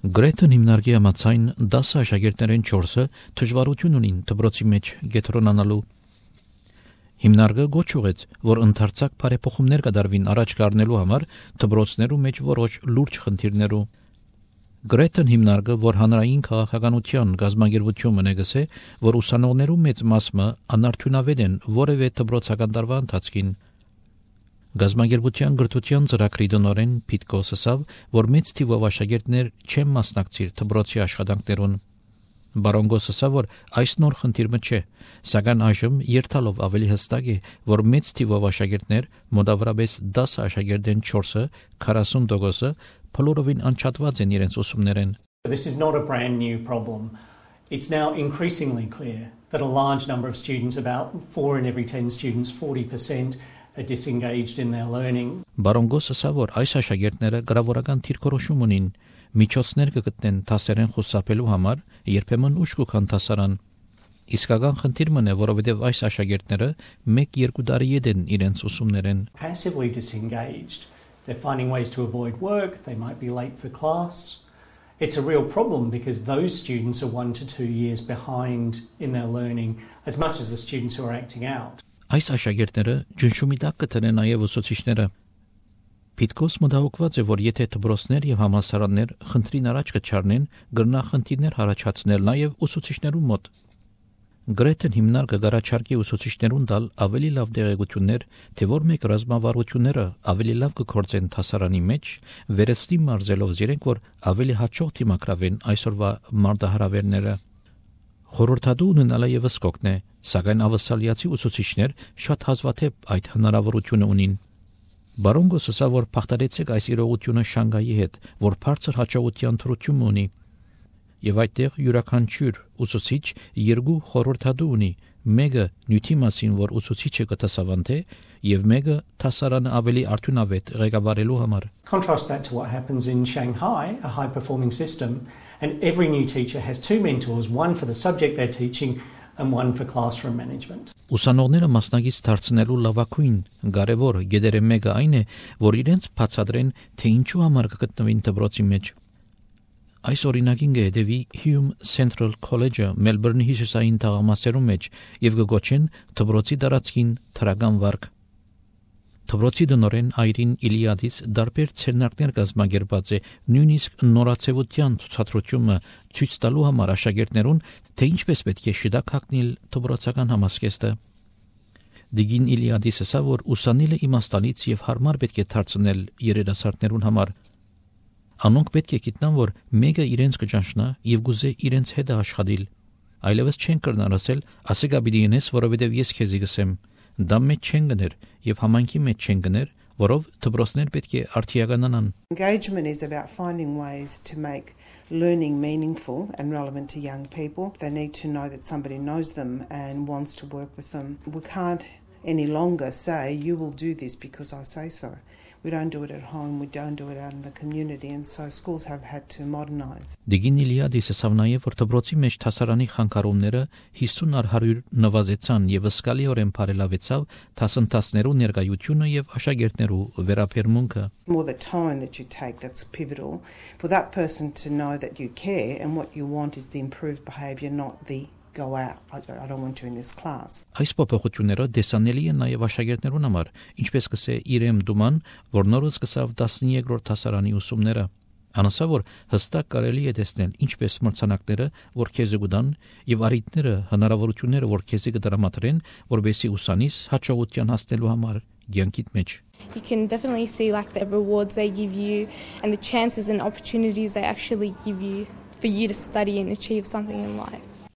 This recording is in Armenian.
Գրեթն հիմնարկի համաձայն 10 աշակերտներեն 4-ը դժվարություն ունին դպրոցի մեջ կենտրոնանալու։ Հիմնարկը գոչ ուղեց, որ ընդարձակ բարեփոխումներ կդարվին առաջ կառնելու համար դպրոցներու մեջ որոշ լուրջ խնդիրներու։ Գրեթն հիմնարկը, որ հանրային քաղաքականության գազագերբություն ունեցե, որ ուսանողներու մեծ մասը անարդյունավետ են որևէ դպրոցական տարվա ընթացքին։ Գազագերբության գրթության ծրագրի դնորեն Պիտկոս ասավ, որ մեծ թիվով աշակերտներ չեն մասնակցիր դպրոցի աշխատանքներուն։ Բարոնգոս ասավ, որ այս նոր խնդիրը չէ, սակայն այժմ երթալով ավելի հստակ է, որ մեծ թիվով աշակերտներ, մոտավորապես 10 աշակերտեն 4-ը, 40%-ը փլորովին անչափված են իրենց ուսումներեն։ This is not a brand new problem. It's now increasingly clear that a large number of students, about 4 in every 10 students, 40%, are disengaged in their learning. Բարոնգոս ասավ, որ այս աշակերտները գրավորական դիրքորոշում ունին, միջոցներ կգտնեն դասերեն խուսափելու համար, երբեմն ուշ կգան դասարան։ Իսկական խնդիրն է, որովհետև այս աշակերտները 1-2 տարի են իրենց ուսումներեն։ Passively disengaged. They're finding ways to avoid work, they might be late for class. It's a real problem because those students are 1 to 2 years behind in their learning as much as the students who are acting out. Այս աշակերտները ջնշումի տակ կտնեն նաև ուսուցիչները։ Պիտկոս մտահոգված է, որ եթե դպրոցներ եւ համալսարաններ խնդրին առաջ կչառնեն, կգրնա խնդիրներ առաջացնել նաև ուսուցիչներու մոտ։ Գրեթն հիմնարկը գարաչարկի ուսուցիչներուն տալ ավելի լավ տեղեկություններ, թե որ մեկ ռազմավարությունները ավելի լավ կգործեն դասարանի մեջ, վերստի մարզելով իրենք, որ ավելի հաջող դիմակրավեն այսօրվա մարտահրավերները։ Խորհրդատու ունենալը եւս կօգնե, սակայն ավասալիացի ուսուցիչներ շատ հազվադեպ այդ հնարավորությունը ունին։ Բարոնգոս ասա, որ փախտարեցեք այս իրողությունը Շանգայի հետ, որ բարձր հաջողության թրություն ունի, եւ այդտեղ յուրաքանչյուր ուսուցիչ 2 խորհրդատու ունի, մեկը նյութի մասին, որ ուսուցիչը կտեսավանդե, եւ մեկը դասարանը ավելի արդյունավետ ղեկավարելու համար։ Contrast that to what happens in Shanghai, a high-performing system, and every new teacher has 2 mentors, one for the subject they're teaching and one for classroom management. Ուսանողները մասնակից դարձնելու լավագույն կարևոր գեդերը մեկը այն է, որ իրենց բացատրեն, թե ինչու համար կգտնվին դպրոցի մեջ։ Այս օրինակին կհետևի Hume Central College-ը Մելբուրնի հյուսիսային թաղամասերում մեջ եւ կգոչեն դպրոցի տարածքին թրական վարկ։ Դպրոցի դնորեն Այրին Իլիադիս դարբեր ցերնակներ կազմակերպած է նույնիսկ նորացեվության ցուցադրությունը ցույց տալու համար աշակերտներուն, թե ինչպես պետք է շիդակ հագնել դպրոցական համասկեստը։ Դիգին Իլիադիսը ասա, որ ուսանիլը իմաստալից եւ հարմար պետք է դարձնել երիտասարդներուն համար։ Անոնք պետք է գիտնան, որ մեկը իրենց կճանչնա եւ գուզե իրենց հետ աշխատել։ Այլևս չեն կրնար ասել, ասեգա պիտի ինես, որովհետեւ ես քեզի գսեմ։ Դա մեջ չեն գներ եւ համանքի մեջ չեն գներ, որով դպրոցներ պետք է արդիականանան։ Engagement is about finding ways to make learning meaningful and relevant to young people. They need to know that somebody knows them and wants to work with them. We can't any longer say you will do this because I say so. We don't do it at home, we don't do it out in the community, and so schools have had to modernize. Դիգին Իլիադիսը ասավ նաև, որ դպրոցի մեջ դասարանի խանգարումները 50-100 նվազեցան եւ զգալիորեն բարելավեցավ դասընթացներու ներկայությունը եւ աշակերտներու վերաբերմունքը։ More the tone that you take that's pivotal for that person to know that you care and what you want is the improved behaviour, not the go out. I don't want you in this class. Այս փոփոխությունները դեսանելի են նաև աշակերտներուն համար, ինչպես կսե Իրեմ Դուման, որ նորը սկսավ 13-րդ դասարանի ուսումները։ Անասա, որ հստակ կարելի է տեսնել ինչպես մրցանակները, որ քեզի գուտան, եւ առիթները, հնարավորությունները, որ քեզի կդրամատրեն, որբեսի ուսանիս հաջողության հասնելու համար ցանկիտ մեջ։ You can definitely see like the rewards they give you and the chances and opportunities they actually give you for you to study and achieve something in life.